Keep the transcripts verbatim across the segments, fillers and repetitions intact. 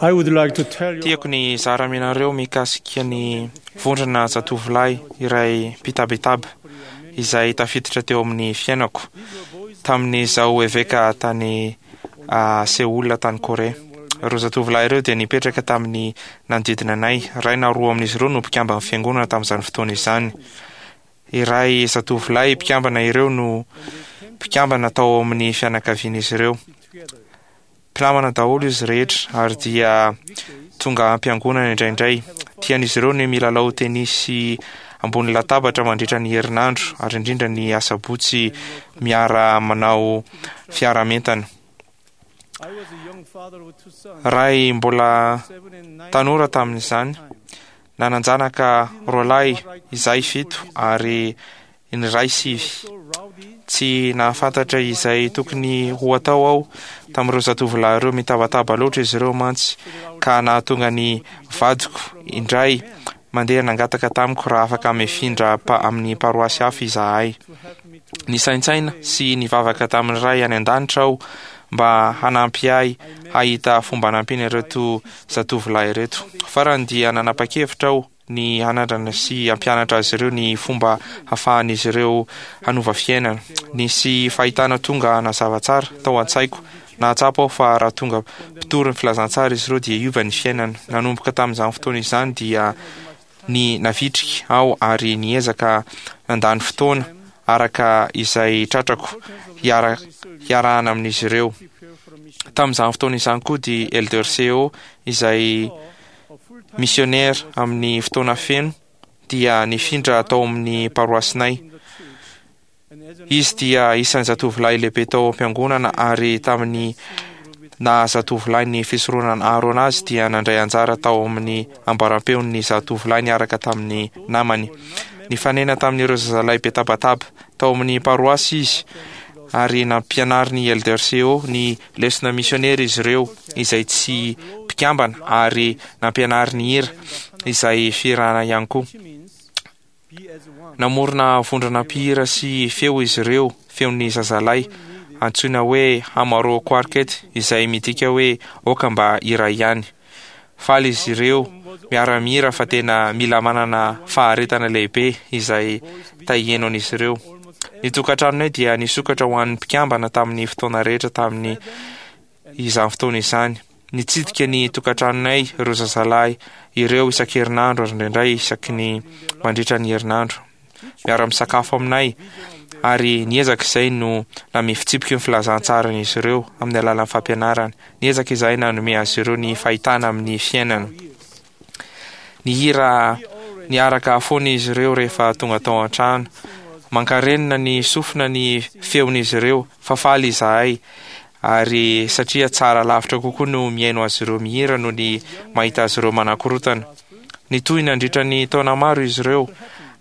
I would like to tell you Tiako ny hizara aminareo mikasika ny vondrona zatovolahy iray mpitabataba izay tafiditra teo amin'ny fiainako tamin'izaho eveka tany ah, Seoul tany Korea. Ireo zatovolahy ireo dia nipetraka tamin'ny nanodidina anay. Iray na roa amin'izy ireo no mpikambana fiangonana tamin'izany fotoana izany. Iray zatovolahy mpikambana ireo no mpikambana tao amin'ny fianakavian'izy ireo. Mpinamana daholo izy rehetra ary dia tonga am-piangonana indraindray. Tian'izy ireo ny milalao tenisy ambony latabatra mandritra ny herinandro ary indrindra ny asabotsy miara manao fiaraha-mientana. I was a young father with two sons, Ray mbola seven and nine tanora tamin'izany, nanan-janaka roalahy izay fito ary ny ray sivy. so rowdy Tsy nahafantatra izay tokony ho atao aho tamin'ireo zatovolahy ireo. Mitabataba loatra izy ireo mantsy ka nahatonga ny vadiko indray mandeha nangataka tamiko raha afaka mifindra pa- amin'ny paroasy hafa izahay. to help me to Nisaintsaina sy nivavaka tamin'ny Ray any an-danitra aho mba hanampy ahy hahita fomba hanampiana ireto zatovolahy ireto. Farany dia nanapa-kevitra aho ny hanandrana sy hampianatra azy ireo ny fomba hahafahan'izy ireo hanova fiainana. Nisy fahitana tonga nazava tsara tao an-tsaiko. Nahatsapa aho fa raha tonga mpitory ny filazantsara izy ireo dia hiova ny fiainana. Nanomboka tamin'izany fotoana izany dia ny navitrika aho ary niezaka nandany fotoana araka izay tratrako hiara hiarahana amin'izy ireo. prepare for a mission. Tamin'izany fotoana izany koa dia Elder Seo izay A full-time missionnaire amin'ny fotoana feno dia nifindra tao amin'ny paroasinay. in the church. And as an Izy dia isan'ny zatovolahy lehibe tao am-piangonana ary tamin'ny naha zatovolahy ny fisoronana Aharona azy dia nandray anjara tao amin'ny ambaram-peon'ny zatovolahy niaraka tamin'ny namany. Nifanena tamin'ireo zazalahy be tabataba tao amin'ny paroasy izy ary nampianarin'ny Elder Seo ny lesona missionnaire izy ireo izay tsy mpikambana ary nampianariny hira izay fihirana ihany koa. which means be as one. Namorona vondrona mpihira sy feo izy ireo, feon'ny zazalahy antsoina hoe Hamaro Quartet izay midika hoe aoka mba iray ihany. Faly izy ireo miara-mihira fa tena mila manana faharetana lehibe izay tahieno an'izy ireo. Ny tokantranonay dia nisokatra ho an'ny mpikambana tamin'ny fotoana rehetra tamin'ny izany fotoana izany. Nitsidika ny tokantranonay ireo zazalahy ireo isan-kerinandro ary indraindray isaky ny mandritra ny herinandro. Miara-misakafo aminay ary niezaka izay no nanome fitsipiky ny filazantsaran'izy ireo amin'ny alalan'ny fampianarana. Niezaka izahay nanome azy ireo ny fahitana amin'ny fiainana. Nihira niaraka foana izy ireo rehefa tonga tao an-trano. Mankarenina ny sofina ny feon'izy ireo fa faly izahay ary satria tsara lavitra kokoa no mihaino azy ireo mihira noho ny mahita azy ireo manakorotana. Nitohy nandritra ny taona maro izy ireo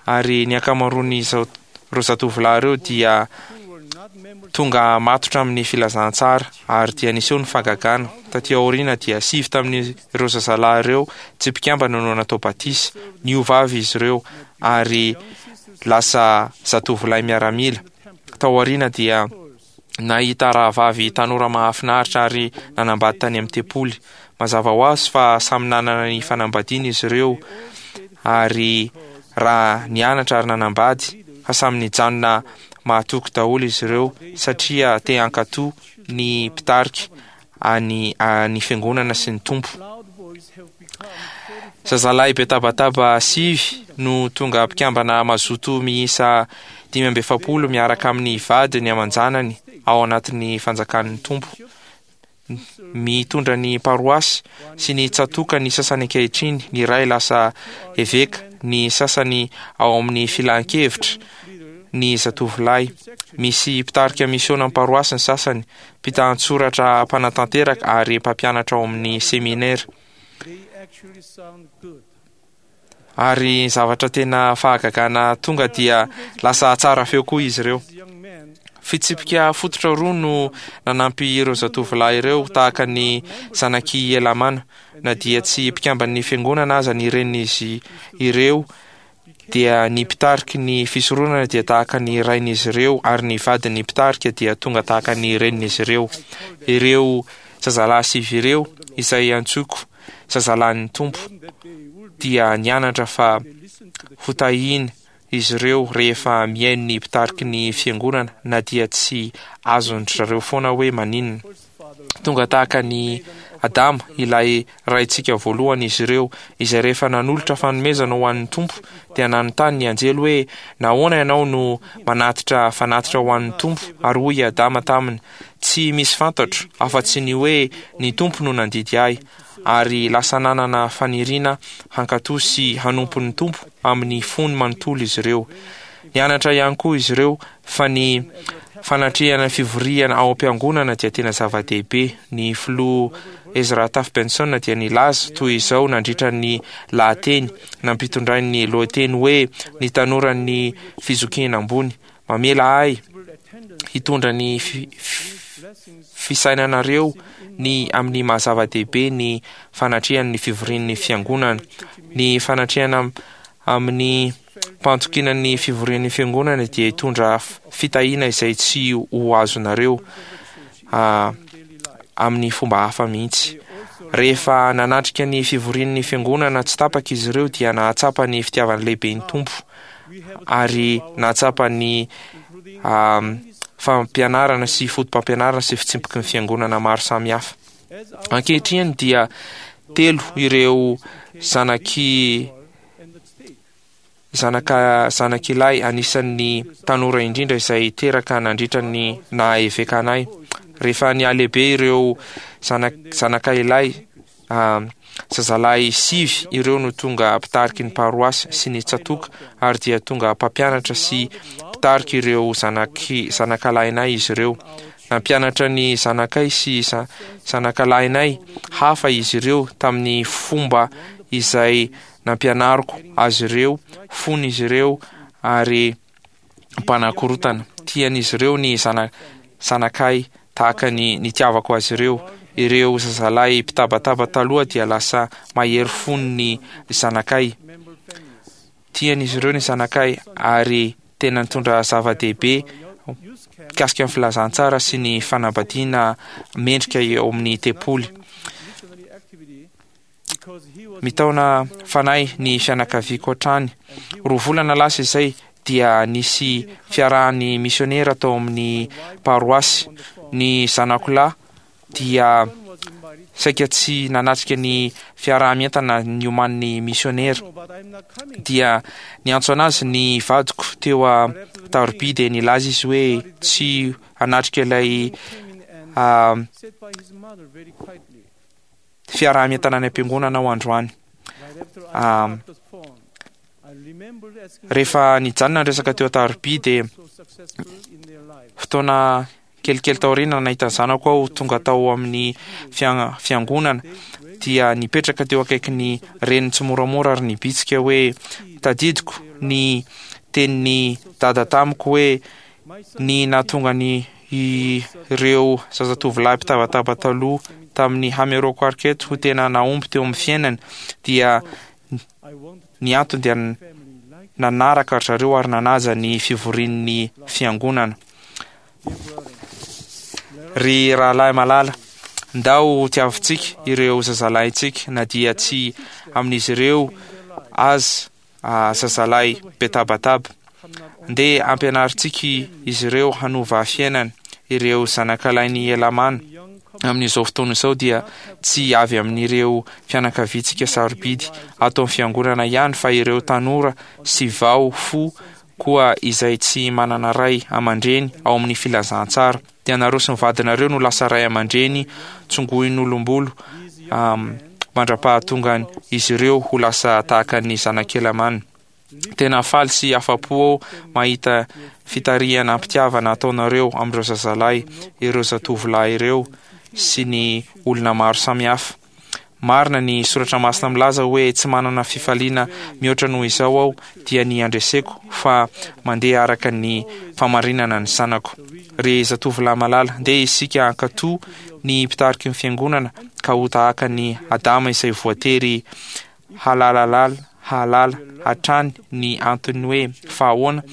ary ny ankamaroan'izao ireo zatovolahy ireo dia Who were not members tonga matotra amin'ny filazantsara ary dia niseho ny fahagagana. Taty aoriana dia sivy tamin'ireo zazalahy ireo tsy mpikambana no natao batisa. Niova avy izy ireo ary lasa zatovolahy miaramila. Tao aoriana dia nahita rahavavy tanora mahafinaritra ary nanambady tany amin'ny tempoly. Mazava ho azy fa samy nanana ny fanambadiana izy ireo ary raha nianatra ary nanambady fa samy nijanona mahatoky daholo izy ireo satria te hankatò ny mpitarika any ny fiangonana sy ny Tompo. loud boys have become forty Zazalahy be tabataba sivy no tonga mpikambana mazoto miisa dimy amby efapolo miaraka amin'ny vadiny aman-janany ao anatin'ny fanjakan'ny Tompo. Mitondra ny paroasy sy ny tsatoka ny sasany ankehitriny, ny iray lasa eveka, ny sasany ao amin'ny filan-kevitra, ny zatovolahy. Misy mpitarika misiona amin'ny paroasy ny sasany, mpitan-tsoratra mpanatanteraka ary mpampianatra ao amin'ny seminera. they actually sound good. Ary zavatra tena fahagagana tonga dia lasa tsara feo koa izy ireo. These young men Fitsipika fototra roa no nanampy ireo zatovolahy ireo tahaka ny zanak'i Elamana. Na dia tsy mpikamban'ny fiangonana aza ny renin'izy ireo dia ny mpitariky ny fisoronana dia tahaka ny rain'izy ireo ary ny vadin'ny mpitarika dia tonga tahaka ny renin'izy ireo. Ireo zazalahy sivy ireo izay antsoiko zazalahin'ny Tompo dia nianatra fa hotahiana izy ireo rehefa mihaino ny mpitariky ny fiangonana, na dia tsy azon-dry zareo foana hoe maninona. Tonga tahaka ny Adama, ilay raintsika voalohany, izy ireo, izay rehefa nanolotra fanomezana ho an'ny Tompo dia nanontany ny anjely hoe, nahoana ianao no manatitra fanatitra ho an'ny Tompo? Ary hoy i Adama taminy, tsy misy fantatro afa-tsy ny hoe ny Tompo no nandidy ahy. Ary lasa nanana faniriana hankatò sy hanompo ny Tompo amin'ny fony manontolo izy ireo. Nianatra ihany koa izy ireo fa ny fanatrehana fivoriana ao am-piangonana dia tena zava-dehibe. Ny filoha Ezra Taft Benson dia nilaza toy izao nandritra ny lahateny nampitondrainy ny lohateny hoe ny tanoran'ny fizokiana ambony: mamela ahy hitondra ny fi-, fisainanareo ny amin'ny maha-zava-dehibe ny fanatrehan'ny fivorian'ny fiangonana. Ny fanatrehana amin'ny mpahatokiana ny fivorian'ny fiangonana dia hitondra fitahiana izay tsy ho azonareo, ah, amin'ny fomba hafa mihitsy. Rehefa nanatrika ny fivorian'ny fiangonana tsy tapaka izy ireo dia nahatsapa ny fitiavany lehibe ny Tompo ary nahatsapa ny, ah, fampianarana sy foto-pampianarana sy fitsipiky ny fiangonana maro samihafa. Ankehitriny dia telo ireo zanaky zanaka zanak'ilay anisan'ny tanora indrindra izay teraka nandritra ny naha eveka anay. Rehefa nihalehibe ireo zanak-, zanaka ilay, ah, zazalahy sivy ireo no tonga mpitariky ny paroasy sy ny tsatoka, ary dia tonga mpampianatra sy mpitariky ireo zanaky, zanakalahinay izy ireo. Nampianatra ny zanakay sy za-, zanakalahinay hafa izy ireo tamin'ny fomba izay nampianariko azy ireo fony izy ireo ary mpanakorotana. Tian'izy ireo ny zana-, zanakay tahaka ny nitiavako azy ireo. Ireo zazalahy mpitabataba taloha dia lasa mahery fony ny zanakay. Tian'izy ireo ny zanakay ary tena nitondra zava-dehibe mikasika ny filazantsara sy ny fanambadiana mendrika eo amin'ny tempoly. Mitaona fanahy ny fianakaviako hatrany. Roa volana lasa izay dia nisy fiarahan'ny misionera tao amin'ny paroasy. Ny zanako lahy dia saika tsy nanatrika ny fiaraha-mientana nioman'ny misionera. Dia niantso anazy ny vadiko teo a-taroby dia nilaza izy hoe tsy hanatrika ilay, ah, fiaraha-mientana any am-piangonana ao androany. Ah, rehefa nijanona ny resaka teo an-taroby dia fotoana kelikely taoriana nahita ny zanako aho tonga tao amin'ny fian-, fiangonana dia nipetraka teo akaikin'ny reniny tsy moramora ary nibitsika hoe tadidiko ny tenin'ny dada tamiko hoe ny nahatonga ny ireo zazatovolahy mpitabataba taloha tamin'ny Hammer'Oak Quartet ho tena nahomby teo amin'ny fiainany dia ny antony dia nanaraka ry zareo ary nanaja ny fivorian'ny fiangonana. Ry rahalahy malala, ndao tiavintsika ireo zazalahintsika na dia tsy amin'izy ireo aza, ah, zazalahy betabataba. Ndeha ampianarintsika izy ireo hanova fiainana. Ireo zanakalahin'i Elamana amin'izao fotoana izao dia tsy avy amin'ireo fianakaviantsika sarobidy ato amin'ny fiangonana ihany, fa ireo tanora sy vao fo koa izay tsy manana ray aman-dreny ao amin'ny filazantsara. Dia nareo sy ny vadinareo no lasa ray aman-dreny tsongoin'olombolo, um, mandra-pahatongany izy ireo ho lasa tahaka ny zanak'Elamana. Tena faly sy afa-po aho mahita fitarihana am-pitiavana ataonareo amin'ireo zazalahy, ireo zatovolahy ireo sy ny olona maro samihafa. Marina ny soratra masina milaza hoe tsy manana fifaliana mihoatra noho izao aho dia ny andreseko fa mandeha araka ny famarinana ny zanako. Ry zatovolahy malala, ndeha isika hankatò ny mpitariky ny fiangonana ka ho tahaka ny Adama izay voatery halalalala, hahalala hatrany ny antony hoe fa ahoana,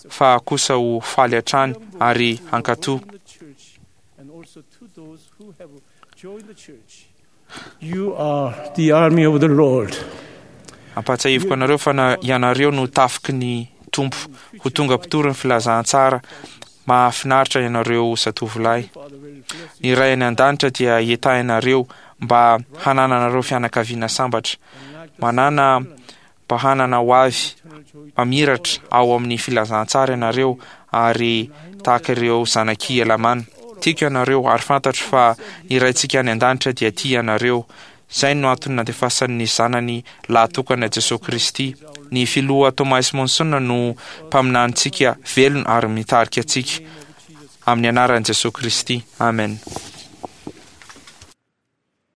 fa kosa ho faly hatrany ary hankatò. And also to those who have joined the church You are the army of the Lord. Ampahatsiahiviko anareo fa na ianareo no tafiky ny Tompo, ho tonga mpitory ny filazantsara mahafinaritra ianareo zatovolahy. Ny Ray any an-danitra dia hitahy anareo mba hanananareo fianakaviana sambatra, manana mba hanana ho avy mamiratra ao amin'ny filazantsara ianareo, ary tahaka ireo zanak'i Helamàna. Tiako ianareo ary fantatro fa ny Raintsika any an-danitra dia tia anareo. Izay no antony nandefasany ny Zanany lahatokana Jesoa Kristy. Ny Filoha Thomas Monson no mpaminanintsika velona ary mitarika antsika. Amin'ny anaran'i Jesoa Kristy. Amen.